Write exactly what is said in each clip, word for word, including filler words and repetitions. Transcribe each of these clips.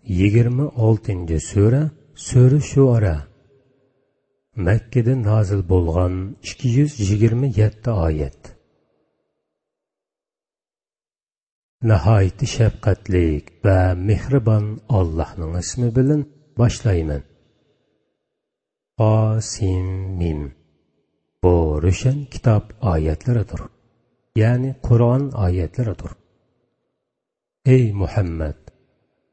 يىگىرمە ئالتىنچى سۈرە، سۈرە شۇئەرا. مەككىدە نازىل بولغان، ئىككى يۈز يىگىرمە يەتتە ئايەت. ناھايىتى شەپقەتلىك ۋە مېھرىبان ئاللاھنىڭ ئىسمى بىلەن باشلايمەن. قاسىم مىم. بۇ روشەن كىتاب ئايەتلىرىدۇر، يەنى قۇرئان ئايەتلىرىدۇر. ئەي مۇھەممەد،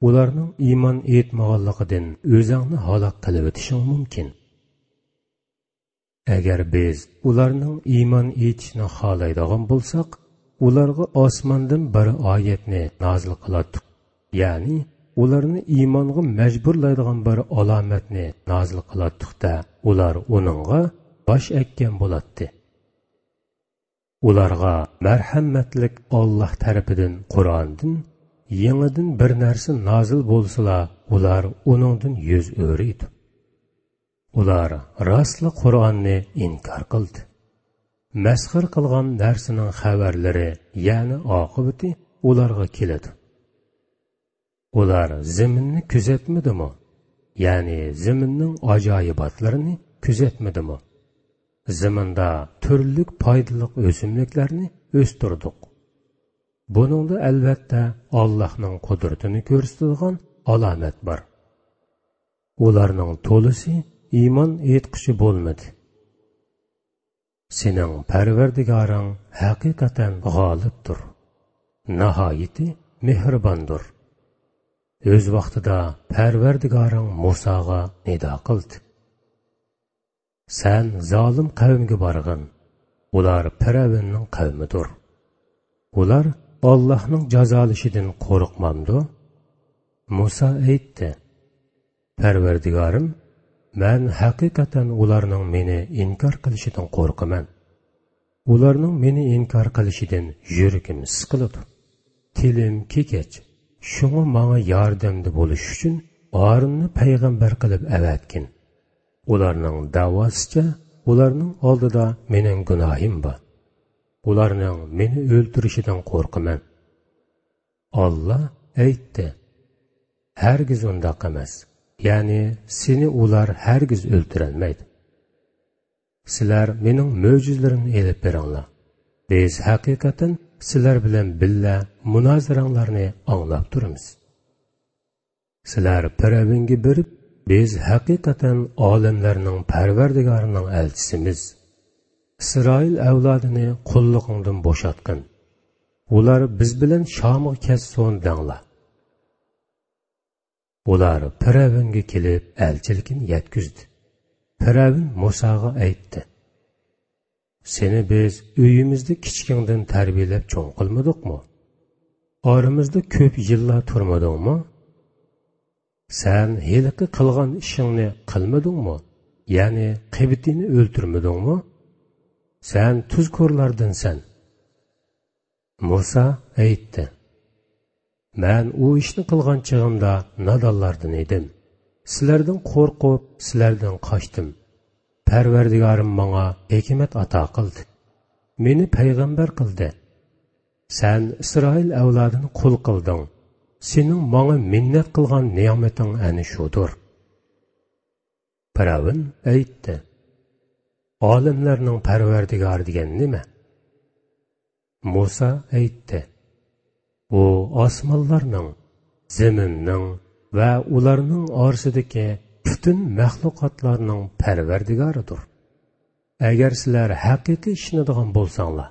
ئۇلارنىڭ ئىمان ئېيتمىغانلىقىدىن ئۆزۈڭنى ھالاك قىلىۋېتىشىڭ مۇمكىن. ئەگەر بىز ئۇلارنىڭ ئىمان ئېيتىشىنى خالايدىغان بولساق، ئۇلارغا ئاسماندىن بىر ئايەتنى نازىل قىلاتتۇق، يەنى ئۇلارنى ئىمانغا مەجبۇرلايدىغان بىر ئالامەتنى نازىل قىلاتتۇق-دە، ئۇلار ئۇنىڭغا باش ئەگكەن بولاتتى. ئۇلارغا مەرھەمەتلىك ئاللاھ تەرىپىدىن قۇرئاندىن يېڭىدىن بىر نەرسە نازىل بولسىلا، ئۇلار ئۇنىڭدىن يۈز ئۆرۈيدۇ. ئۇلار راستلا قۇرئاننى ئىنكار قىلدى. مەسخىرە قىلغان نەرسىنىڭ خەۋەرلىرى، يەنى ئاقىۋىتى ئۇلارغا كېلىدۇ. ئۇلار زېمىننى كۆزەتمىدىمۇ؟ يەنى زېمىننىڭ ئاجايىباتلىرىنى كۆزەتمىدىمۇ؟ زېمىندا تۈرلۈك پايدىلىق ئۆسۈملۈكلەرنى ئۆستۈردۇق. بۇنىڭدا ئەلۋەتتە ئاللاھنىڭ قۇدرىتىنى كۆرسىتىدىغان ئالامەت بار. ئۇلارنىڭ تولىسى ئىمان ئېيتقۇچى بولمىدى. سېنىڭ پەرۋەردىگارىڭ ھەقىقەتەن غالىبتۇر، ناھايىتى مېھرىباندۇر. ئۆز ۋاقتىدا پەرۋەردىگارىڭ مۇساغا نىدا قىلدى. سەن زالىم قەۋمگە بارغىن، ئۇلار پىرئەۋننىڭ قەۋمىدۇر. ئۇلار ئاللاھنىڭ جازالىشىدىن قورقمامدۇ؟ مۇسا ئېيتتى: پەرۋەردىگارىم، مەن ھەقىقەتەن ئۇلارنىڭ مېنى ئىنكار قىلىشىدىن قورقىمەن. ئۇلارنىڭ مېنى ئىنكار قىلىشىدىن يۈرىكىم سىقىلىدۇ. تىلىم كېكەچ، شۇڭا ماڭا ياردەمدە بولۇش ئۈچۈن ھارۇننى پەيغەمبەر قىلىپ ئەۋەتكىن. ئۇلارنىڭ دەۋاسىچە، ئۇلارنىڭ ئالدىدا مېنىڭ گۇناھىم بار. ئۇلارنىڭ مېنى ئۆلتۈرۈشىدىن قورقىمەن. ئاللا ئېيتتى: ھەرگىز ئۇنداق ئەمەس، يەنى سېنى ئۇلار ھەرگىز ئۆلتۈرەلمەيدۇ. سىلەر مېنىڭ مۆجىزىلىرىمنى ئېلىپ بېرىڭلار. بىز ھەقىقەتەن سىلەر بىلەن بىللە مۇنازىرەڭلارنى ئاڭلاپ تۇرىمىز. سىلەر پىرئەۋنگە بېرىپ، بىز ھەقىقەتەن ئالەملەرنىڭ پەرۋەردىگارىنىڭ ئەلچىسىمىز. ئىسرائىل ئەۋلادىنى قۇللۇقۇڭدىن بوشاتقىن. ئۇلار بىز بىلەن شامغا كەتسۇن دەڭلار. ئۇلار پىرئەۋنگە كېلىپ ئەلچىلىكىنى يەتكۈزدى. پىرئەۋن مۇساغا ئېيتتى: سېنى بىز ئۆيىمىزدە كىچىكىڭدىن تەربىيەلەپ چوڭ قىلمىدۇقمۇ؟ ئارىمىزدا كۆپ يىللار تۇرمىدىڭمۇ؟ سەن ھېلىقى قىلغان ئىشىڭنى قىلمىدىڭمۇ؟ يەنى قېبتىينى ئۆلتۈرمىدىڭمۇ؟ سەن تۇزكورلاردىنسەن. مۇسا ئېيتتى: مەن ئۇ ئىشنى قىلغان چېغىمدا نادانلاردىن ئىدىم. سىلەردىن قورقۇپ، سىلەردىن قاچتىم. پەرۋەردىگارىم ماڭا ھېكمەت ئاتا قىلدى. مېنى پەيغەمبەر قىلدى. سەن ئىسرائىل ئەۋلادىنى قۇل قىلدىڭ. سېنىڭ ماڭا مىننەت قىلغان نېمىتىڭ ئەنە شۇدۇر. پىرئەۋن ئېيتتى: ئالەملەرنىڭ پەرۋەردىگارى دېگەن نېمە؟ مۇسا ئېيتتى: ئۇ ئاسمانلارنىڭ، زېمىننىڭ ۋە ئۇلارنىڭ ئارىسىدىكى پۈتۈن مەخلۇقاتلارنىڭ پەرۋەردىگارىدۇر. ئەگەر سىلەر ھەقىقىي ئىشىنىدىغان بولساڭلار.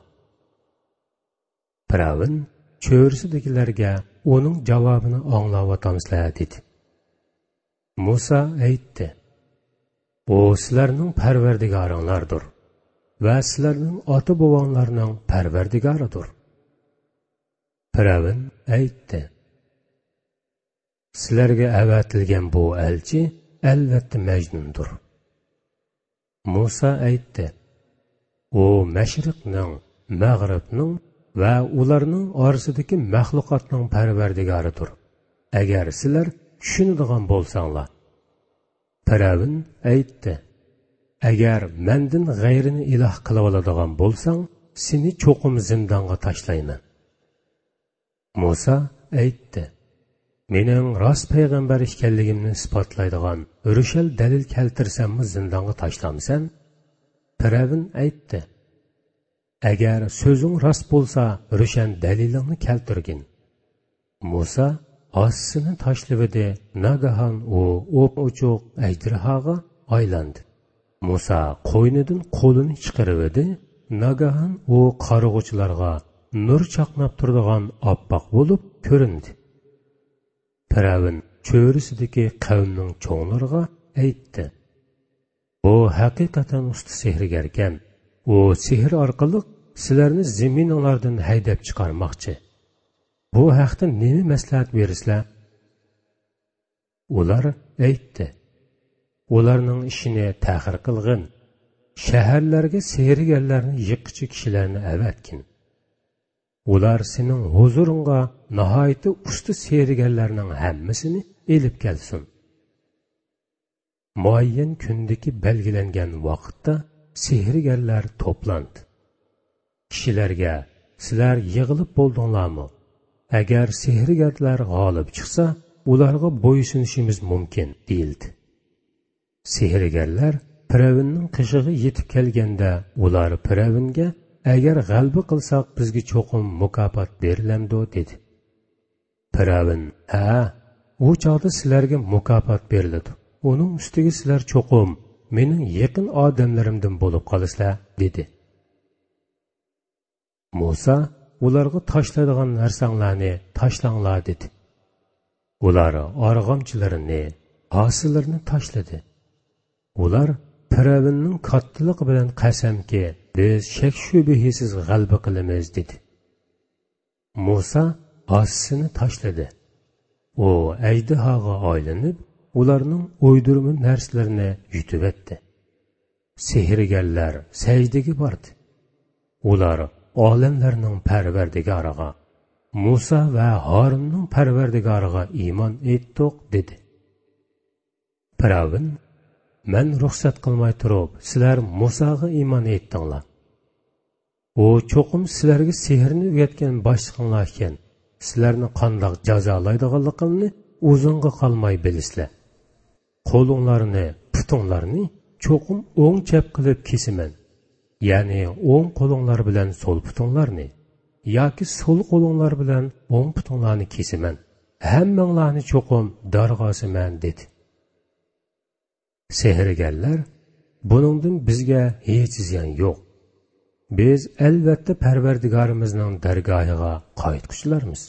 پىرئەۋن چۆرىسىدىكىلەرگە ئۇنىڭ جاۋابىنى ئاڭلاۋاتامسىلەر دېدى. مۇسا ئېيتتى: ئۇ سىلەرنىڭ پەرۋەردىگارىڭلاردۇر ۋە سىلەرنىڭ ئاتا-بوۋاڭلارنىڭ پەرۋەردىگارىدۇر. پىرئەۋن ئېيتتى: سىلەرگە ئەۋەتىلگەن بۇ ئەلچى ئەلۋەتتە مەجنۇندۇر. مۇسا ئېيتتى: ئۇ مەشرىقنىڭ، مەغرىبنىڭ ۋە ئۇلارنىڭ ئارىسىدىكى مەخلۇقاتنىڭ پەرۋەردىگارىدۇر. ئەگەر سىلەر چۈشىنىدىغان بولساڭلار. پىرئەۋن ئېيتتى: ئەگەر مەندىن غەيرىنى ئىلاھ قىلىۋالىدىغان بولساڭ، سېنى چوقۇم زىندانغا تاشلايمەن. مۇسا ئېيتتى: مېنىڭ راست پەيغەمبەر ئىكەنلىكىمنى ئىسپاتلايدىغان رۆشەن دەلىل كەلتۈرسەممۇ زىندانغا تاشلامسەن؟ پىرئەۋن ئېيتتى: ئەگەر سۆزۈڭ راست بولسا، رۆشەن دەلىلىڭنى كەلتۈرگىن. مۇسا ھاسىسىنى تاشلىۋىدى، ناگاھان ئۇ ئوپئوچۇق ئەجدىھاغا ئايلاندى. مۇسا قوينىدىن قولىنى چىقىرىۋىدى، ناگاھان ئۇ قارىغۇچىلارغا نۇر چاقناپ تۇرىدىغان ئاپئاق بولۇپ كۆرۈندى. پىرئەۋن چۆرىسىدىكى قەۋمنىڭ چوڭلىرىغا ئېيتتى: بۇ ھەقىقەتەن ئۇستا سېھىرگەركەن. ئۇ سېھىر ئارقىلىق سىلەرنى زېمىنىڭلاردىن ھەيدەپ چىقارماقچى. بۇ ھەقتە نېمە مەسلىھەت بېرىسىلەر؟ ئۇلار ئېيتتى: ئۇلارنىڭ ئىشىنى تەخىر قىلغىن. شەھەرلەرگە سېھىرگەرلەرنى يىغقۇچى كىشىلەرنى ئەۋەتكىن. ئۇلار سېنىڭ ھۇزۇرۇڭغا ناھايىتى ئۇستا سېھىرگەرلەرنىڭ ھەممىسىنى ئېلىپ كەلسۇن. مۇئەييەن كۈندىكى بەلگىلەنگەن ۋاقىتتا سېھىرگەرلەر توپلاندى. كىشىلەرگە: سىلەر يىغىلىپ بولدۇڭلارمۇ؟ ئەگەر سېھىرگەرلەر غالىب چىقسا، ئۇلارغا بويسۇنۇشىمىز مۇمكىن، دېيىلدى. سېھىرگەرلەر پىرئەۋننىڭ قېشىغا يېتىپ كەلگەندە، ئۇلار پىرئەۋنگە: ئەگەر غەلىبە قىلساق، بىزگە چوقۇم مۇكاپات بېرىلەمدۇ؟ دېدى. پىرئەۋن: ھە، ئۇ چاغدا سىلەرگە مۇكاپات بېرىلىدۇ. ئۇنىڭ ئۈستىگە سىلەر چوقۇم مېنىڭ يېقىن ئادەملىرىمدىن بولۇپ قالىسىلەر، دېدى. مۇسا ئۇلارغا: تاشلايدىغان نەرسەڭلارنى تاشلاڭلار، دېدى. ئۇلار ئارغامچىلىرىنى، ھاسىلىرىنى تاشلىدى. ئۇلار: پىرئەۋننىڭ كاتتىلىقى بىلەن قەسەمكى، بىز شەك-شۈبھىسىز غەلىبە قىلىمىز، دېدى. مۇسا ھاسىسىنى تاشلىدى. ئۇ ئەجدىھاغا ئايلىنىپ، ئۇلارنىڭ ئويدۇرما نەرسىلىرىنى يۇتۇۋەتتى. سېھىرگەرلەر سەجدىگە باردى. ئۇلار ئالەملەرنىڭ پەرۋەردىگارىغا، مۇسا ۋە ھارۇننىڭ پەرۋەردىگارىغا ئىمان ئېيتتۇق، دېدى. پىرئەۋن: مەن رۇخسەت قىلماي تۇرۇپ، سىلەر مۇساغا ئىمان ئېيتتىڭلار. ئۇ چوقۇم سىلەرگە سېھىرنى ئۆگەتكەن باشلىقىڭلار ئىكەن، سىلەرنى قانداق جازالايدىغانلىقىمنى ئۇزۇنغا قالماي بىلىسىلەر. قولۇڭلارنى، پۇتۇڭلارنى چوقۇم ئوڭ چەپ قىلىپ كېسىمەن. يەنى ئوڭ قولۇڭلار بىلەن سول پۇتۇڭلارنى، ياكى سول قولۇڭلار بىلەن ئوڭ پۇتۇڭلارنى كېسىمەن. ھەممىڭلارنى چوقۇم دارغا ئاسىمەن، دېدى. سېھىرگەرلەر: بۇنىڭدىن بىزگە ھېچ زىيان يوق. بىز ئەلۋەتتە پەرۋەردىگارىمىزنىڭ دەرگاھىغا قايتقۇچىلارمىز.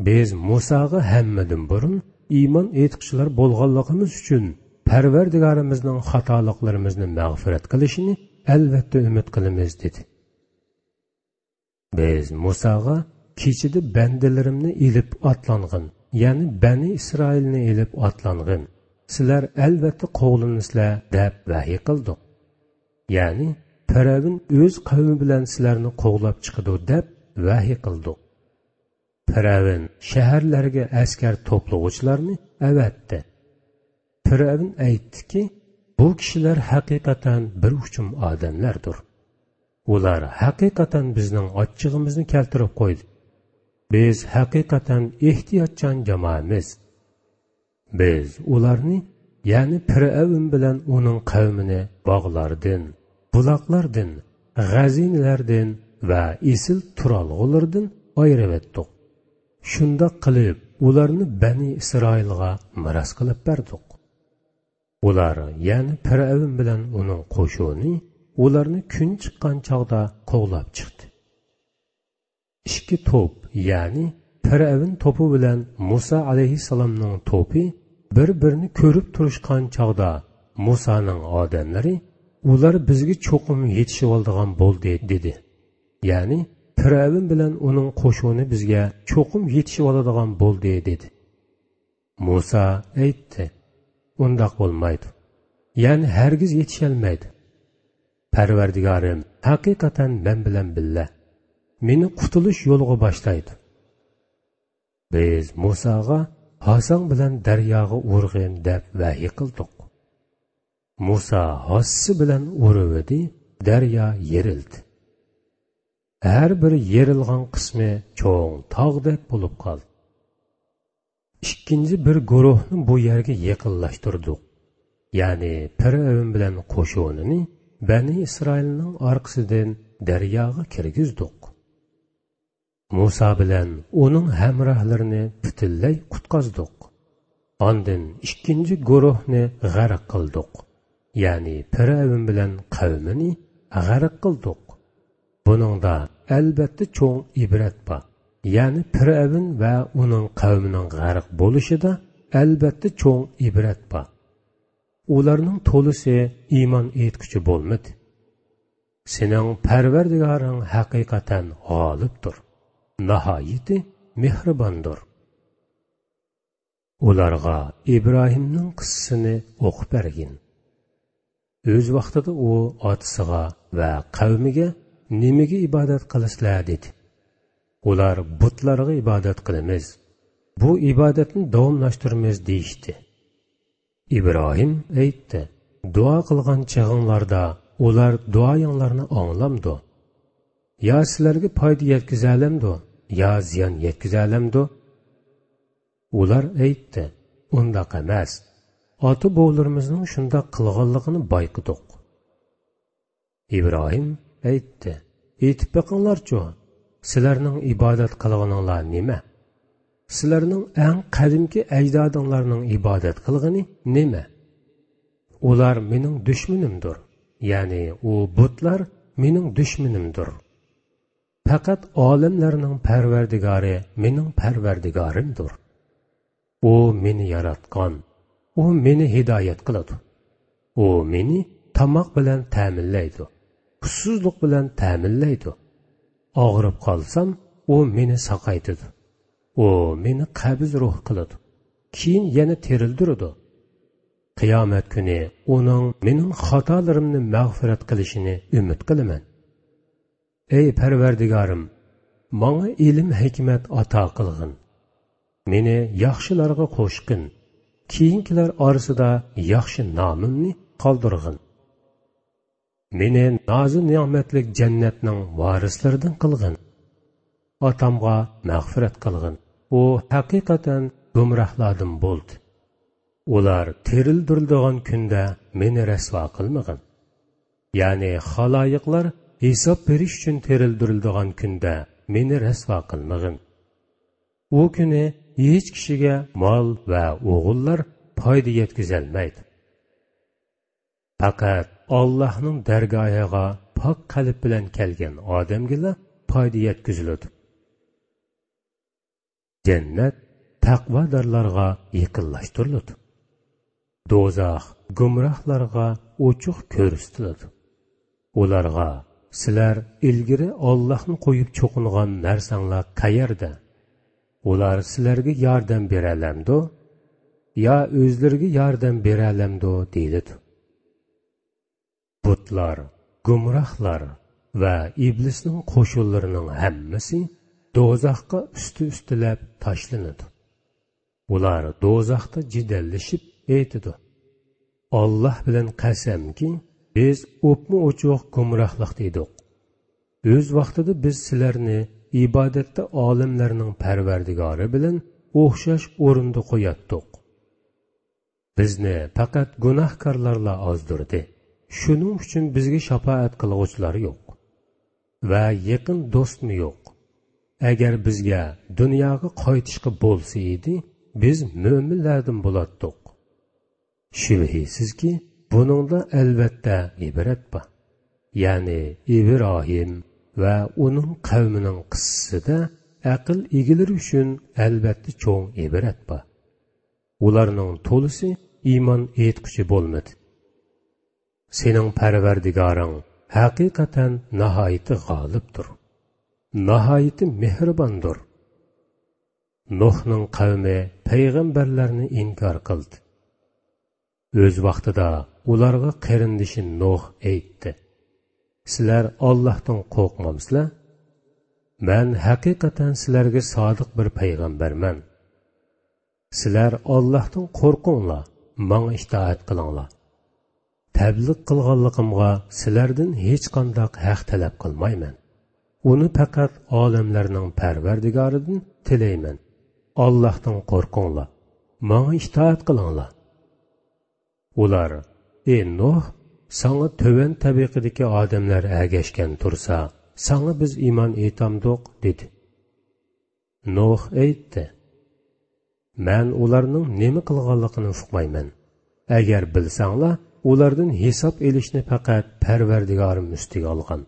بىز مۇساغا ھەممىدىن بۇرۇن ئىمان ئېيتقۇچىلار بولغانلىقىمىز ئۈچۈن، پەرۋەردىگارىمىزنىڭ خاتالىقلىرىمىزنى مەغپىرەت قىلىشىنى ئەلۋەتتە ئۈمىد قىلىمىز، دېدى. بىز مۇساغا: كېچىدە بەندىلىرىمنى ئېلىپ ئاتلانغىن، يەنى بەنى ئىسرائىلنى ئېلىپ ئاتلانغىن، سىلەر ئەلۋەتتە قوغلىنىسىلەر، دەپ ۋەھىي قىلدۇق. يەنى پىرئەۋن ئۆز قەۋمى بىلەن سىلەرنى قوغلاپ چىقىدۇ، دەپ ۋەھىي قىلدۇق. پىرئەۋن شەھەرلەرگە ئەسكەر توپلىغۇچىلارنى ئەۋەتتى. پىرئەۋن ئېيتتىكى: بۇ كىشىلەر ھەقىقەتەن بىر ئۇچۇم ئادەملەردۇر. ئۇلار ھەقىقەتەن بىزنىڭ ئاچچىقىمىزنى كەلتۈرۈپ قويدى. بىز ھەقىقەتەن ئېھتىياتچان جامائەمىز. بىز ئۇلارنى، يەنى پىرئەۋن بىلەن ئۇنىڭ قەۋمىنى باغلاردىن، بۇلاقلاردىن، غەزىنىلەردىن ۋە ئېسىل تۇرالغۇلىرىدىن ئايرىۋەتتۇق. شۇنداق قىلىپ، ئۇلارنى بەنى ئىسرائىلغا مىراس قىلىپ بەردۇق. ئۇلار، يەنى پىرئەۋن بىلەن ئۇنىڭ قوشۇنى ئۇلارنى كۈن چىققان چاغدا قوغلاپ چىقتى. ئىككى توپ، يەنى پىرئەۋن توپى بىلەن مۇسا ئەلەيھىسسالامنىڭ توپى بىر-بىرىنى كۆرۈپ تۇرۇشقان چاغدا، مۇسانىڭ ئادەملىرى: ئۇلار بىزگە چوقۇم يېتىشىۋالىدىغان بولدى، دېدى. يەنى پىرئەۋن بىلەن ئۇنىڭ قوشۇنى بىزگە چوقۇم يېتىشىۋالىدىغان بولدى، دېدى. مۇسا ئېيتتى: ئۇنداق بولمايدۇ. يەنى ھەرگىز يېتىشەلمەيدۇ. پەرۋەردىگارىم ھەقىقەتەن مەن بىلەن بىللە. مېنى قۇتۇلۇش يولىغا باشلايدۇ. بىز مۇساغا: ھاساڭ بىلەن دەرياغا ئۇرغىن، دەپ ۋەھىي قىلدۇق. مۇسا ھاسىسى بىلەن ئۇرۇۋىدى، دەريا يېرىلدى. ھەر بىر يېرىلغان قىسمى چوڭ تاغدەك بولۇپ قالدى. ئىككىنچى بىر گۇرۇھنى بۇ يەرگە يېقىنلاشتۇردۇق. يەنى پىرئەۋن بىلەن قوشۇنىنى بەنى ئىسرائىلنىڭ ئارقىسىدىن دەرياغا كىرگۈزدۇق. مۇسا بىلەن ئۇنىڭ ھەمراھلىرىنى پۈتۈنلەي قۇتقۇزدۇق. ئاندىن ئىككىنچى گۇرۇھنى غەرق قىلدۇق. يەنى پىرئەۋن بىلەن قەۋمىنى غەرق قىلدۇق. بۇنىڭدا ئەلۋەتتە چوڭ ئىبرەت بار. يەنى پىرئەۋن ۋە ئۇنىڭ قەۋمىنىڭ غەرق بولۇشىدا ئەلۋەتتە چوڭ ئىبرەت بار. ئۇلارنىڭ تولىسى ئىمان ئېيتقۇچى بولمىدى. سېنىڭ پەرۋەردىگارىڭ ھەقىقەتەن غالىبتۇر، ناھايىتى مېھرىباندۇر. ئۇلارغا ئىبراھىمنىڭ قىسسىسىنى ئوقۇپ بەرگىن. ئۆز ۋاقتىدا ئۇ ئاتىسىغا ۋە قەۋمىگە نېمىگە ئىبادەت قىلىسىلەر دېدى. ئۇلار بۇتلارغا ئىبادەت قىلىمىز، بۇ ئىبادەتنى داۋاملاشتۇرىمىز دېيىشتى. ئىبراھىم ئېيتتى، دۇئا قىلغان چېغىڭلاردا ئۇلار دۇئايىڭلارنى ئاڭلامدۇ؟ يا سىلەرگە پايدا يەتكۈزەلەمدۇ، يا زىيان يەتكۈزەلەمدۇ؟ ئۇلار ئېيتتى، ئۇنداق ئەمەس. ئاتا-بوۋىلىرىمىزنىڭ شۇنداق قىلغانلىقىنى بايقىدۇق. ئىبراھىم ئېيتتى، ئېيتىپ بېقىڭلارچۇ، سىلەرنىڭ ئىبادەت قىلغىنىڭلار نېمە؟ سىلەرنىڭ ئەڭ قەدىمكى ئەجدادىڭلارنىڭ ئىبادەت قىلغىنى نېمە؟ ئۇلار مېنىڭ دۈشمىنىمدۇر، يەنى ئۇ بۇتلار مېنىڭ دۈشمىنىمدۇر. پەقەت ئالەملەرنىڭ پەرۋەردىگارى مېنىڭ پەرۋەردىگارىمدۇر. ئۇ مېنى ياراتقان، ئۇ مېنى ھىدايەت قىلىدۇ. ئۇ مېنى تاماق بىلەن تەمىنلەيدۇ، ئۇسسۇزلۇق بىلەن تەمىنلەيدۇ. ئاغرىپ قالسام، ئۇ مېنى ساقايتىدۇ. ئۇ مېنى قەبزى روھ قىلىدۇ، كېيىن يەنە تىرىلدۈرىدۇ. قىيامەت كۈنى ئۇنىڭ مېنىڭ خاتالىرىمنى مەغپىرەت قىلىشىنى ئۈمىد قىلىمەن. ئەي پەرۋەردىگارىم، ماڭا ئىلىم-ھېكمەت ئاتا قىلغىن. مېنى ياخشىلارغا قوشقىن. كېيىنكىلەر ئارىسىدا ياخشى نامىمنى قالدۇرغىن. مېنى نازۇ-نېمەتلىك جەننەتنىڭ ۋارىسلىرىدىن قىلغىن. ئاتامغا مەغپىرەت قىلغىن. ئۇ ھەقىقەتەن گۇمراھلاردىن بولدى. ئۇلار تىرىلدۈرۈلىدىغان كۈندە مېنى رەسۋا قىلمىغىن. يەنى خالايىقلار ھېساب بېرىش ئۈچۈن تىرىلدۈرۈلىدىغان كۈندە مېنى رەسۋا قىلمىغىن. ئۇ كۈنى ھېچ كىشىگە مال ۋە ئوغۇللار پايدا يەتكۈزەلمەيدۇ. پەقەت ئاللاھنىڭ دەرگاھىغا پاك قەلب بىلەن كەلگەن ئادەمگىلا پايدا يەتكۈزۈلىدۇ. جەننەت تەقۋادارلارغا يېقىنلاشتۇرۇلىدۇ. دوزاخ گۇمراھلارغا ئوچۇق كۆرسىتىلىدۇ. ئۇلارغا، سىلەر ئىلگىرى ئاللاھنى قويۇپ چوقۇنغان نەرسەڭلار قەيەردە؟ ئۇلار سىلەرگە ياردەم بېرەلەمدۇ؟ يا ئۆزلىرىگە ياردەم بېرەلەمدۇ؟ دېيىلىدۇ. بۇتلار، گۇمراھلار ۋە ئىبلىسنىڭ قوشۇنلىرىنىڭ ھەممىسى دوزاخقا ئۈستى-ئۈستىلەپ تاشلىنىدۇ. ئۇلار دوزاختا جېدەللىشىپ ئېيتىدۇ، ئاللاھ بىلەن قەسەمكى، بىز ئوپمۇ ئوچۇق گۇمراھلىقتا ئىدۇق. ئۆز ۋاقتىدا بىز سىلەرنى ئىبادەتتە ئالەملەرنىڭ پەرۋەردىگارى بىلەن ئوخشاش ئورۇندا قوياتتۇق. بىزنى پەقەت گۇناھكارلارلا ئازدۇردى. شۇنىڭ ئۈچۈن بىزگە شاپائەت قىلغۇچىلار يوق ۋە يېقىن دوستمۇ يوق. ئەگەر بىزگە دۇنياغا قايتىشقا بولسا ئىدى، بىز مۆمىنلەردىن بولاتتۇق. شۈبھىسىزكى، بۇنىڭدا ئەلۋەتتە ئىبرەت بار. يەنى ئىبراھىم ۋە ئۇنىڭ قەۋمىنىڭ قىسسىسىدە ئەقىل ئىگىلىرى ئۈچۈن ئەلۋەتتە چوڭ ئىبرەت بار. ئۇلارنىڭ تولىسى ئىمان ئېيتقۇچى بولمىدى. سېنىڭ پەرۋەردىگارىڭ ھەقىقەتەن ناھايىتى غالىبتۇر، ناھايىتى مېھرىباندۇر. نۇھنىڭ قەۋمى پەيغەمبەرلەرنى ئىنكار قىلدى. ئۆز ۋاقتىدا ئۇلارغا قېرىندىشى نۇھ ئېيتتى، سىلەر ئاللاھتىن قورقمامسىلەر؟ مەن ھەقىقەتەن سىلەرگە سادىق بىر پەيغەمبەرمەن. سىلەر ئاللاھتىن قورقۇڭلار، ماڭا ئىتائەت قىلىڭلار. تەبلىغ قىلغانلىقىمغا سىلەردىن ھېچقانداق ھەق تەلەپ قىلمايمەن. ئۇنى پەقەت ئالەملەرنىڭ پەرۋەردىگارىدىن تىلەيمەن. ئاللاھتىن قورقۇڭلار، ماڭا ئىتائەت قىلىڭلار. ئۇلار: «ئى نۇھ، ساڭا تۆۋەن تەبىقىدىكى ئادەملەر ئەگەشكەن تۇرسا، ساڭا بىز ئىمان ئېيتامدۇق؟» دېدى. نۇھ ئېيتتى: «مەن ئۇلارنىڭ نېمە قىلغانلىقىنى ئۇقمايمەن. ئەگەر بىلسەڭلار، ئۇلاردىن ھېساب ئېلىشنى پەقەت پەرۋەردىگارىم ئۈستىگە ئالغان.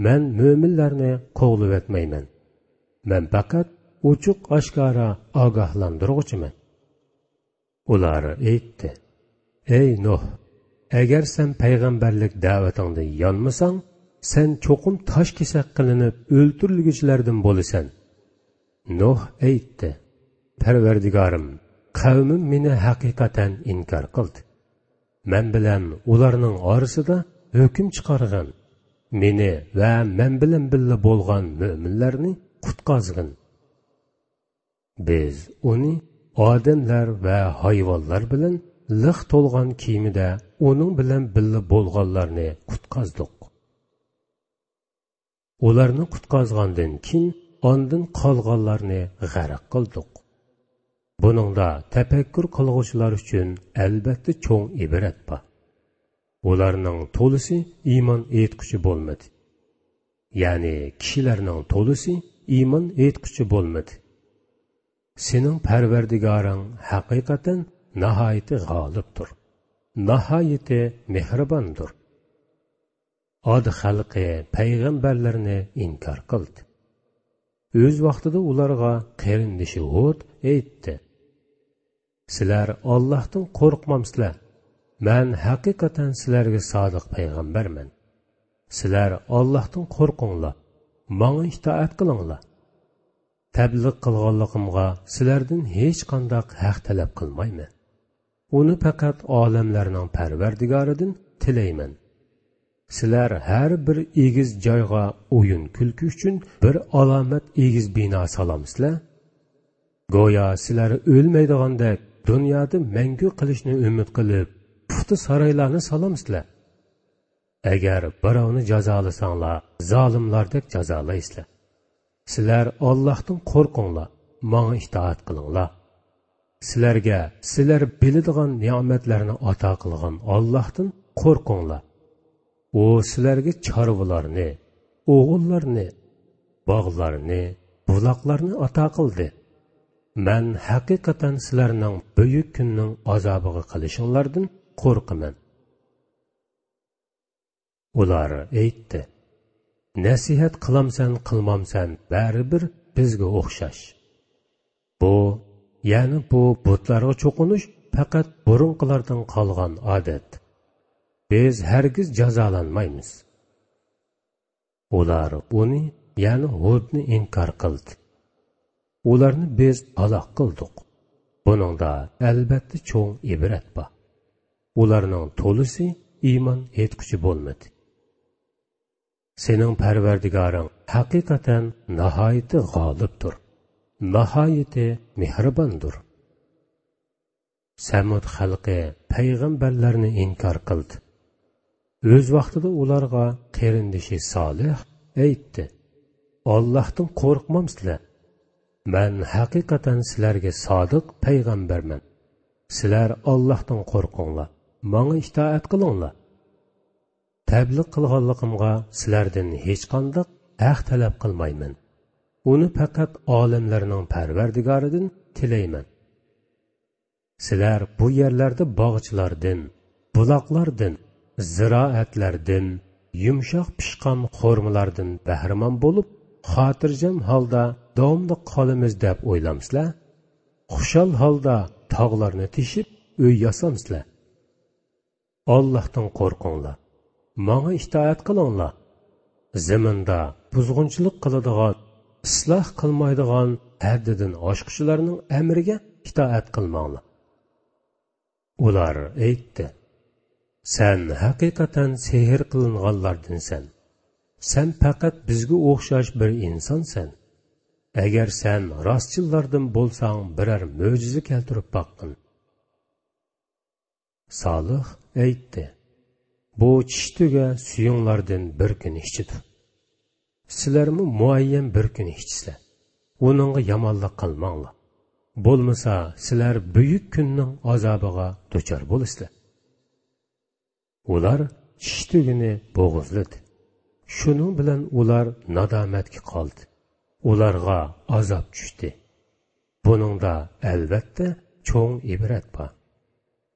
مەن مۆمىنلەرنى قوغلىۋەتمەيمەن. مەن پەقەت ئوچۇق-ئاشكارا ئاگاھلاندۇرغۇچىمەن.» ئۇلار ئېيتتى: «ئەي نۇھ، ئەگەر سەن پەيغەمبەرلىك دەۋىتىڭدىن يانمىساڭ، سەن چوقۇم تاش كېسەك قىلىنىپ ئۆلتۈرۈلگۈچىلەردىن بولىسەن.» نۇھ ئېيتتى: «پەرۋەردىگارىم، قەۋمىم مېنى ھەقىقەتەن ئىنكار قىلدى. مەن بىلەن ئۇلارنىڭ ئارىسىدا ھۆكۈم چىقارغىن. مېنى ۋە مەن بىلەن بىللە بولغان مۆمىنلەرنى قۇتقازغىن. بىز ئۇنى ئادەملەر ۋە ھايۋانلار بىلەن لىق تولغان كېمىدە ئۇنىڭ بىلەن بىللە بولغانلارنى قۇتقازدۇق. ئۇلارنى قۇتقازغاندىن كېيىن، ئاندىن قالغانلارنى غەرق قىلدۇق. بۇنىڭدا تەپەككۇر قىلغۇچىلار ئۈچۈن ئەلبەتتە چوڭ ئىبرەت بار. ئۇلارنىڭ تولىسى ئىمان ئېيتقۇچى بولمىدى.» يەنى كىشىلەرنىڭ تولىسى ئىمان ئېيتقۇچى بولمىدى. سېنىڭ پەرۋەردىگارىڭ ھەقىقەتەن ناھايىتى غالىبتۇر، ناھايىتى مېھرىباندۇر. ئاد خەلقى پەيغەمبەرلەرنى ئىنكار قىلدى. ئۆز ۋاقتىدا ئۇلارغا قېرىندىشى ھود ئېيتتى: «سىلەر ئاللاھتىن قورقمامسىلەر؟ مەن ھەقىقەتەن سىلەرگە سادىق پەيغەمبەرمەن. سىلەر ئاللاھتىن قورقۇڭلار، ماڭا ئىتائەت قىلىڭلار. تەبلىغ قىلغانلىقىمغا سىلەردىن ھېچقانداق ھەق تەلەپ قىلمايمەن. ئۇنى پەقەت ئالەملەرنىڭ پەرۋەردىگارىدىن تىلەيمەن. سىلەر ھەر بىر ئېگىز جايغا ئويۇن-كۈلكە ئۈچۈن بىر ئالامەت ئېگىز بىنا سالامسىلەر؟ گويا سىلەر ئۆلمەيدىغاندەك دۇنيادا مەڭگۈ قېلىشنى ئۈمىد قىلىپ، پۇختا سارايلارنى سالامسىلەر؟ ئەگەر بىراۋنى جازالىساڭلار، زالىملاردەك جازالايسىلەر. سىلەر ئاللاھتىن قورقۇڭلار، ماڭا ئىتائەت قىلىڭلار. سىلەرگە سىلەر بىلىدىغان نېمەتلەرنى ئاتا قىلغان ئاللاھتىن قورقۇڭلار. ئۇ سىلەرگە چارۋىلارنى، ئوغۇللارنى، باغلارنى، بۇلاقلارنى ئاتا قىلدى. مەن ھەقىقەتەن سىلەرنىڭ بۈيۈك كۈننىڭ ئازابىغا قېلىشىڭلاردىن قورقىمەن.» ئۇلار ئېيتتى: «نەسىھەت قىلامسەن، قىلمامسەن، بەرىبىر بىزگە ئوخشاش. بۇ، يەنى بۇ بۇتلارغا چوقۇنۇش پەقەت بۇرۇنقىلاردىن قالغان ئادەت. بىز ھەرگىز جازالانمايمىز.» ئۇلار ئۇنى، يەنى ھودنى ئىنكار قىلدى. ئۇلارنى بىز ھالاك قىلدۇق. بۇنىڭدا ئەلبەتتە چوڭ ئىبرەت بار. ئۇلارنىڭ تولىسى ئىمان ئېيتقۇچى بولمىدى. سېنىڭ پەرۋەردىگارىڭ ھەقىقەتەن ناھايىتى غالىبتۇر، ناھايىتى مېھرىباندۇر. سەمۇد خەلقى پەيغەمبەرلەرنى ئىنكار قىلدى. ئۆز ۋاقتىدا ئۇلارغا قېرىندىشى سالىھ ئېيتتى: «ئاللاھتىن قورقمامسىلەر؟ مەن ھەقىقەتەن سىلەرگە سادىق پەيغەمبەرمەن. سىلەر ئاللاھتىن قورقۇڭلار، ماڭا ئىتائەت قىلىڭلار. تەبلىغ قىلغانلىقىمغا سىلەردىن ھېچقانداق ھەق تەلەپ قىلمايمەن. ئۇنى پەقەت ئالەملەرنىڭ پەرۋەردىگارىدىن تىلەيمەن. سىلەر بۇ يەرلەردە باغچىلاردىن، بۇلاقلاردىن، زىرائەتلەردىن، يۇمشاق پىشقان خورمىلاردىن بەھرىمەن بولۇپ، خاتىرجەم ھالدا داۋاملىق قالىمىز دەپ ئويلامسىلەر؟ خۇشال ھالدا تاغلارنى تېشىپ ئۆي ياسامسىلەر؟ ئاللاھتىن قورقۇڭلار، ماڭا ئىتائەت قىلىڭلار. زېمىندا بۇزغۇنچىلىق قىلىدىغان، ئىسلاھ قىلمايدىغان ھەددىدىن ئاشقۇچىلارنىڭ ئەمرىگە ئىتائەت قىلماڭلار.» ئۇلار ئېيتتى: «سەن ھەقىقەتەن سېھىر قىلىنغانلاردىنسەن. سەن پەقەت بىزگە ئوخشاش بىر ئىنسانسەن. ئەگەر سەن راستچىللاردىن بولساڭ، بىرەر مۆجىزە كەلتۈرۈپ باققىن.» سالىھ ئېيتتى: «بۇ چىشتۈگە سۈيۈڭلاردىن بىر كۈن ئىچىدۇ. سىلەرمۇ مۇئەييەن بىر كۈن ئىچىسىلەر. ئۇنىڭغا يامانلىق قىلماڭلار. بولمىسا سىلەر بۈيۈك كۈننىڭ ئازابىغا دۇچار بولىسىلەر. ئۇلار چىشى تۈگىنى بوغۇزلىدى. شۇنىڭ بىلەن ئۇلار نادامەتكە قالدى. ئۇلارغا ئازاب چۈشتى. بۇنىڭدا ئەلۋەتتە چوڭ ئىبرەت بار.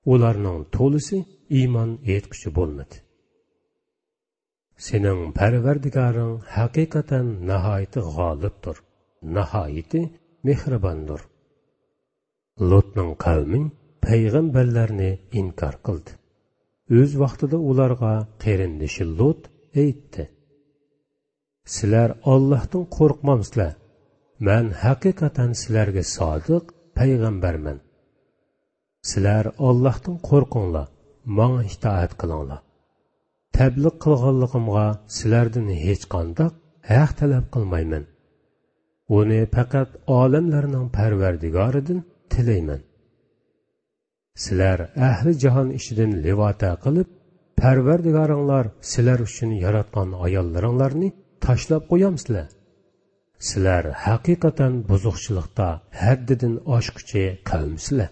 ئۇلارنىڭ تولىسى ئىمان ئېيتقۇچى بولمىدى. سېنىڭ پەرۋەردىگارىڭ ھەقىقەتەن ناھايىتى غالىبتۇر، ناھايىتى مېھرىباندۇر. لوتنىڭ قەۋمى پەيغەمبەرلەرنى ئىنكار قىلدى. ئۆز ۋاقتىدا ئۇلارغا قېرىندىشى لوت ئېيتتى: سىلەر ئاللاھتىن قورقمامسىلەر؟ مەن ھەقىقەتەن سىلەرگە سادىق پەيغەمبەرمەن. سىلەر ئاللاھتىن قورقۇڭلار، ماڭا ئىتائەت قىلىڭلار. تەبلىغ قىلغانلىقىمغا سىلەردىن ھېچقانداق ھەق تەلەپ قىلمايمەن. ئۇنى پەقەت ئالەملەرنىڭ پەرۋەردىگارىدىن تىلەيمەن. سىلەر ئەھلى جاھان ئىچىدىن لىۋاتە قىلىپ، پەرۋەردىگارىڭلار سىلەر ئۈچۈن ياراتقان ئاياللىرىڭلارنى تاشلاپ قويامسىلەر؟ سىلەر ھەقىقەتەن بۇزۇقچىلىقتا ھەددىدىن ئاشقۇچى قەۋمسىلەر.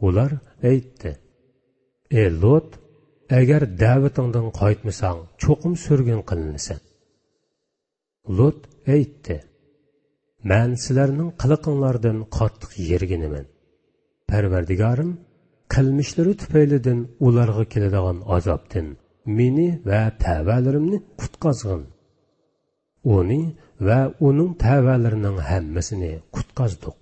ئۇلار ئېيتتى: ئى لوت، ئەگەر دەۋىتىڭدىن قايتمىساڭ، چوقۇم سۈرگۈن قىلىنىسەن. لوت ئېيتتى: مەن سىلەرنىڭ قىلىقىڭلاردىن قاتتىق يىرگىنىمەن. پەرۋەردىگارىم، قىلمىشلىرى تۈپەيلىدىن ئۇلارغا كېلىدىغان ئازابتىن مېنى ۋە تەۋەلىرىمنى قۇتقازغىن. ئۇنى ۋە ئۇنىڭ تەۋەلىرىنىڭ ھەممىسىنى قۇتقازدۇق.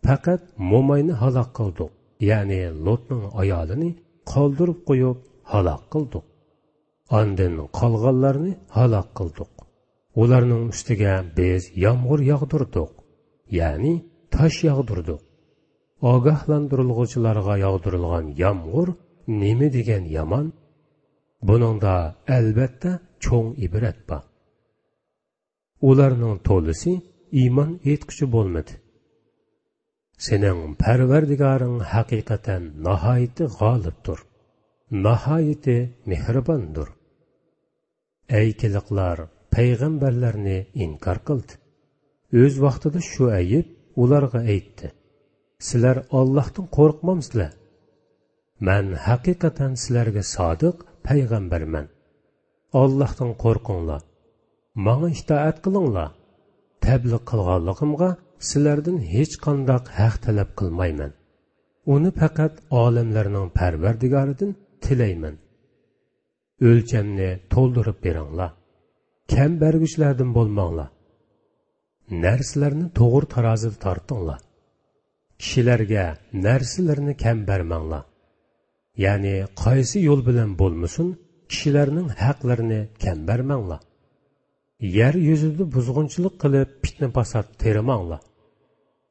پەقەت موماينى ھالاك قىلدۇق، يەنى لوتنىڭ ئايالىنى قالدۇرۇپ قويۇپ ھالاك قىلدۇق. ئاندىن قالغانلارنى ھالاك قىلدۇق. ئۇلارنىڭ ئۈستىگە بىز يامغۇر ياغدۇردۇق، يەنى تاش ياغدۇردۇق. ئاگاھلاندۇرۇلغۇچىلارغا ياغدۇرۇلغان يامغۇر نېمە دېگەن يامان! بۇنىڭدا ئەلۋەتتە چوڭ ئىبرەت بار. ئۇلارنىڭ تولىسى ئىمان ئېيتقۇچى بولمىدى. سېنىڭ پەرۋەردىگارىڭ ھەقىقەتەن ناھايىتى غالىبتۇر، ناھايىتى مېھرىباندۇر. ئەيكىلىقلار پەيغەمبەرلەرنى ئىنكار قىلدى. ئۆز ۋاقتىدا شۇئەيب ئۇلارغا ئېيتتى: سىلەر ئاللاھتىن قورقمامسىلەر؟ مەن ھەقىقەتەن سىلەرگە سادىق پەيغەمبەرمەن. ئاللاھتىن قورقۇڭلار. ماڭا ئىتائەت قىلىڭلار. تەبلىغ قىلغانلىقىمغا سىلەردىن ھېچقانداق ھەق تەلەپ قىلمايمەن. ئۇنى پەقەت ئالەملەرنىڭ پەرۋەردىگارىدىن تىلەيمەن. ئۆلچەمنى تولدۇرۇپ بېرىڭلار. كەم بەرگۈچىلەردىن بولماڭلار. نەرسىلەرنى توغرا تارازىدا تارتىڭلار. كىشىلەرگە نەرسىلىرىنى كەم بەرمەڭلار. يەنى قايسى يول بىلەن بولمىسۇن، كىشىلەرنىڭ ھەقلىرىنى كەم بەرمەڭلار. يەر يۈزىدە بۇزغۇنچىلىق قىلىپ، پىتنە-پاسات تېرىماڭلار.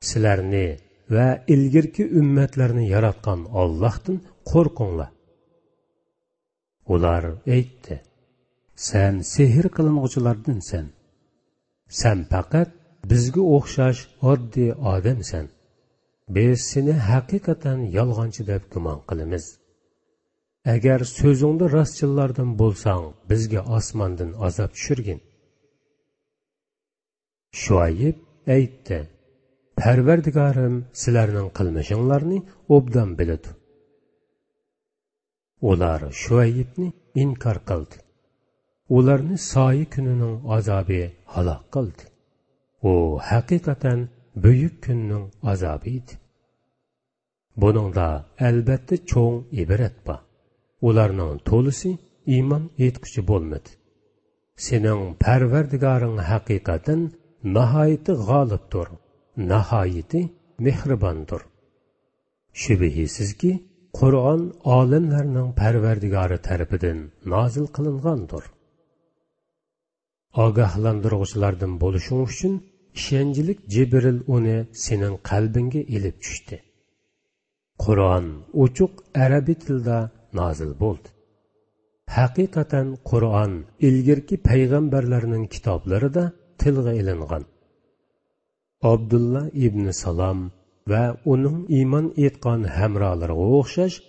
سىلەرنى ۋە ئىلگىرىكى ئۈممەتلەرنى ياراتقان ئاللاھتىن قورقۇڭلار. ئۇلار ئېيتتى: سەن سېھىر قىلىنغۇچىلاردىنسەن. سەن پەقەت بىزگە ئوخشاش ئاددىي ئادەمسەن. بىز سېنى ھەقىقەتەن يالغانچى دەپ گۇمان قىلىمىز. ئەگەر سۆزۈڭدە راستچىللاردىن بولساڭ، بىزگە ئاسماندىن ئازاب چۈشۈرگىن. شۇئەيب ئېيتتى: پەرۋەردىگارىم سىلەرنىڭ قىلمىشىڭلارنى ئوبدان بىلىدۇ. ئۇلار شۇئەيبنى ئىنكار قىلدى. ئۇلارنى سايە كۈنىنىڭ ئازابى ھالاك قىلدى. ئۇ ھەقىقەتەن بۈيۈك كۈننىڭ ئازابى ئىدى. بۇنىڭدا ئەلۋەتتە چوڭ ئىبرەت بار. ئۇلارنىڭ تولىسى ئىمان ئېيتقۇچى بولمىدى. سېنىڭ پەرۋەردىگارىڭ ھەقىقەتەن ناھايىتى غالىبتۇر، ناھايىتى مېھرىباندۇر. شۈبھىسىزكى، قۇرئان ئالەملەرنىڭ پەرۋەردىگارى تەرىپىدىن نازىل قىلىنغاندۇر. ئاگاھلاندۇرغۇچىلاردىن بولۇشۇڭ ئۈچۈن ئىشەنچلىك جىبرىل ئۇنى سېنىڭ قەلبىڭگە ئېلىپ چۈشتى. قۇرئان ئوچۇق ئەرەبىي تىلدا نازىل بولدى. ھەقىقەتەن قۇرئان ئىلگىرىكى پەيغەمبەرلەرنىڭ كىتابلىرىدا تىلغا ئېلىنغان. ئابدۇللا ئىبنى سالام ۋە ئۇنىڭ ئىمان ئېيتقان ھەمراھلىرىغا ئوخشاش،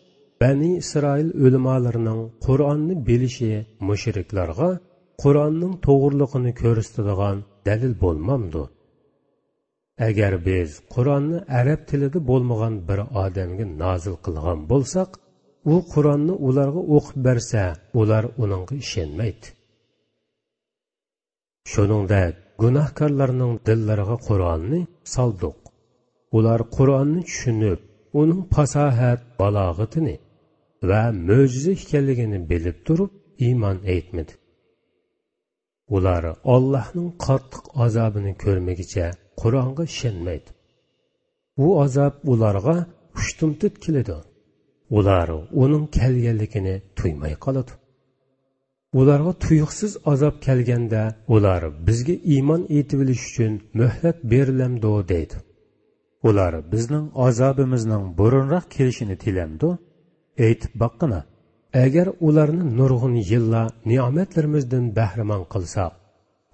بەنى ئىسرائىل ئۆلىمالىرىنىڭ قۇرئاننى بىلىشى مۇشرىكلارغا قۇرئاننىڭ توغرىلىقىنى كۆرسىتىدىغان دەلىل بولمامدۇ؟ ئەگەر بىز قۇرئاننى ئەرەب تىلىدا بولمىغان بىر ئادەمگە نازىل قىلغان بولساق، ئۇ قۇرئاننى ئۇلارغا ئوقۇپ بەرسە، ئۇلار ئۇنىڭغا ئىشەنمەيتتى. شۇنىڭدەك گۇناھكارلارنىڭ دىللىرىغا قۇرئاننى سالدۇق. ئۇلار قۇرئاننى چۈشىنىپ، ئۇنىڭ پاساھەت، بالاغىتىنى ۋە مۆجىزە ئىكەنلىكىنى بىلىپ تۇرۇپ ئىمان ئېيتمىدى. ئۇلار ئاللاھنىڭ قاتتىق ئازابىنى كۆرمىگۈچە قۇرئانغا ئىشەنمەيدۇ. ئۇ ئازاب ئۇلارغا ئۇشتۇمتۇت كېلىدۇ. ئۇلار ئۇنىڭ كەلگەنلىكىنى تۇيماي قالىدۇ. ئۇلارغا تۇيۇقسىز ئازاب كەلگەندە، ئۇلار بىزگە ئىمان ئېيتىۋېلىش ئۈچۈن مۆھلەت بېرىلەمدۇ دەيدۇ. ئۇلار بىزنىڭ ئازابىمىزنىڭ بۇرۇنراق كېلىشىنى تىلەمدۇ؟ ئېيتىپ باققىنا، ئەگەر ئۇلارنى نۇرغۇن يىللار نېمەتلىرىمىزدىن بەھرىمەن قىلساق،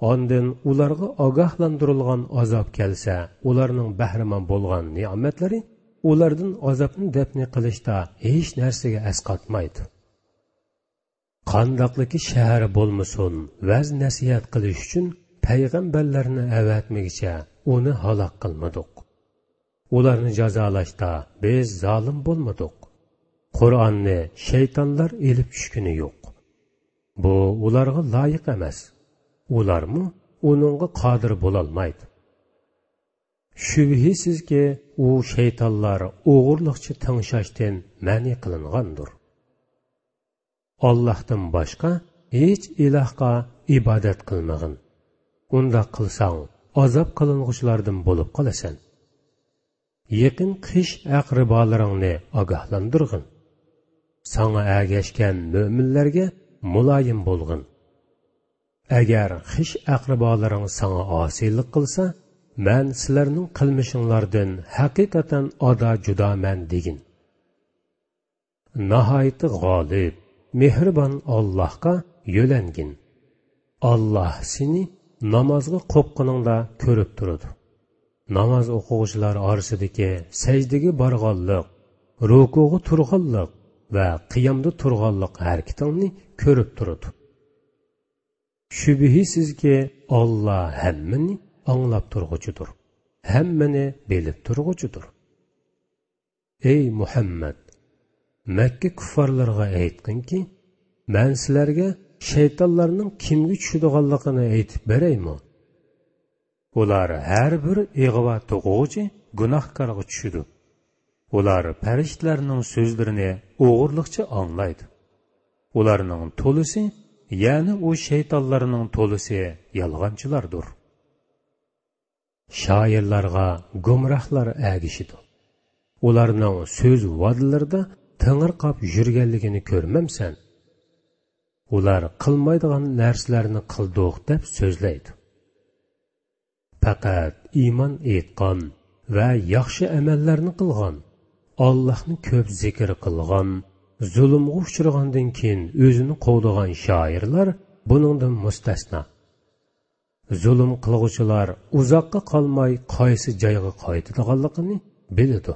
ئاندىن ئۇلارغا ئاگاھلاندۇرۇلغان ئازاب كەلسە، ئۇلارنىڭ بەھرىمەن بولغان نېمەتلىرى ئۇلاردىن ئازابنى دەپنى قىلىشتا ھېچ نەرسىگە ئەسقاتمايدۇ. قانداقلىكى شەھەر بولمىسۇن، ۋەز-نەسىھەت قىلىش ئۈچۈن پەيغەمبەرلەرنى ئەۋەتمىگۈچە ئۇنى ھالاك قىلمىدۇق. ئۇلارنى جازالاشتا بىز زالىم بولمىدۇق. قۇرئاننى شەيتانلار ئېلىپ چۈشكىنى يوق. بۇ ئۇلارغا لايىق ئەمەس. ئۇلارمۇ ئۇنىڭغا قادىر بولالمايدۇ. شۈبھىسىزكى، ئۇ شەيتانلار ئوغرىلىقچە تىڭشاشتىن مەنئى قىلىنغاندۇر. ئاللاھتىن باشقا ھېچ ئىلاھقا ئىبادەت قىلمىغىن. ئۇنداق قىلساڭ، ئازاب قىلىنغۇچىلاردىن بولۇپ قالىسەن. يېقىن خىش ئەقرىبالىرىڭنى ئاگاھلاندۇرغىن. ساڭا ئەگەشكەن مۆمىنلەرگە مۇلايىم بولغىن. ئەگەر خىش ئەقرىبالىرىڭ ساڭا ئاسىيلىق قىلسا، مەن سىلەرنىڭ قىلمىشىڭلاردىن ھەقىقەتەن ئادا جۇدامەن دېگىن. ناھايىتى غالىب، مېھرىبان ئاللاھقا يۆلەنگىن. ئاللاھ سېنى نامازغا قوپقىنىڭدا كۆرۈپ تۇرىدۇ. ناماز ئوقۇغۇچىلار ئارىسىدىكى سەجدىگە بارغانلىق، رۇكۇغا تۇرغانلىق ۋە قىيامدا تۇرغانلىق ھەرىكىتىڭنى كۆرۈپ تۇرىدۇ. شۈبھىسىزكى، ئاللاھ ھەممىنى ئاڭلاپ تۇرغۇچىدۇر، ھەممىنى بىلىپ تۇرغۇچىدۇر. ئەي مۇھەممەد، مەككە كۇففارلىرىغا ئېيتقىنكى، مەن سىلەرگە شەيتانلارنىڭ كىمگە چۈشىدىغانلىقىنى ئېيتىپ بېرەيمۇ؟ ئۇلار ھەر بىر ئىغۋا توقۇغۇچى گۇناھكارغا چۈشىدۇ. ئۇلار پەرىشتىلەرنىڭ سۆزلىرىنى ئوغرىلىقچە ئاڭلايدۇ. ئۇلارنىڭ تولىسى، يەنى ئۇ شەيتانلارنىڭ تولىسى يالغانچىلاردۇر. شائىرلارغا گۇمراھلار ئەگىشىدۇ. ئۇلارنىڭ سۆز ۋادىلىرىدا تېڭىرقاپ يۈرگەنلىكىنى كۆرمەمسەن؟ ئۇلار قىلمايدىغان نەرسىلەرنى قىلدۇق دەپ سۆزلەيدۇ. پەقەت ئىمان ئېيتقان ۋە ياخشى ئەمەللەرنى قىلغان، ئاللاھنى كۆپ زىكىر قىلغان، زۇلۇمغا ئۇچرىغاندىن كېيىن ئۆزىنى قوغدىغان شائىرلار بۇنىڭدىن مۇستەسنا. زۇلۇم قىلغۇچىلار ئۇزاققا قالماي قايسى جايغا قايتىدىغانلىقىنى بىلىدۇ.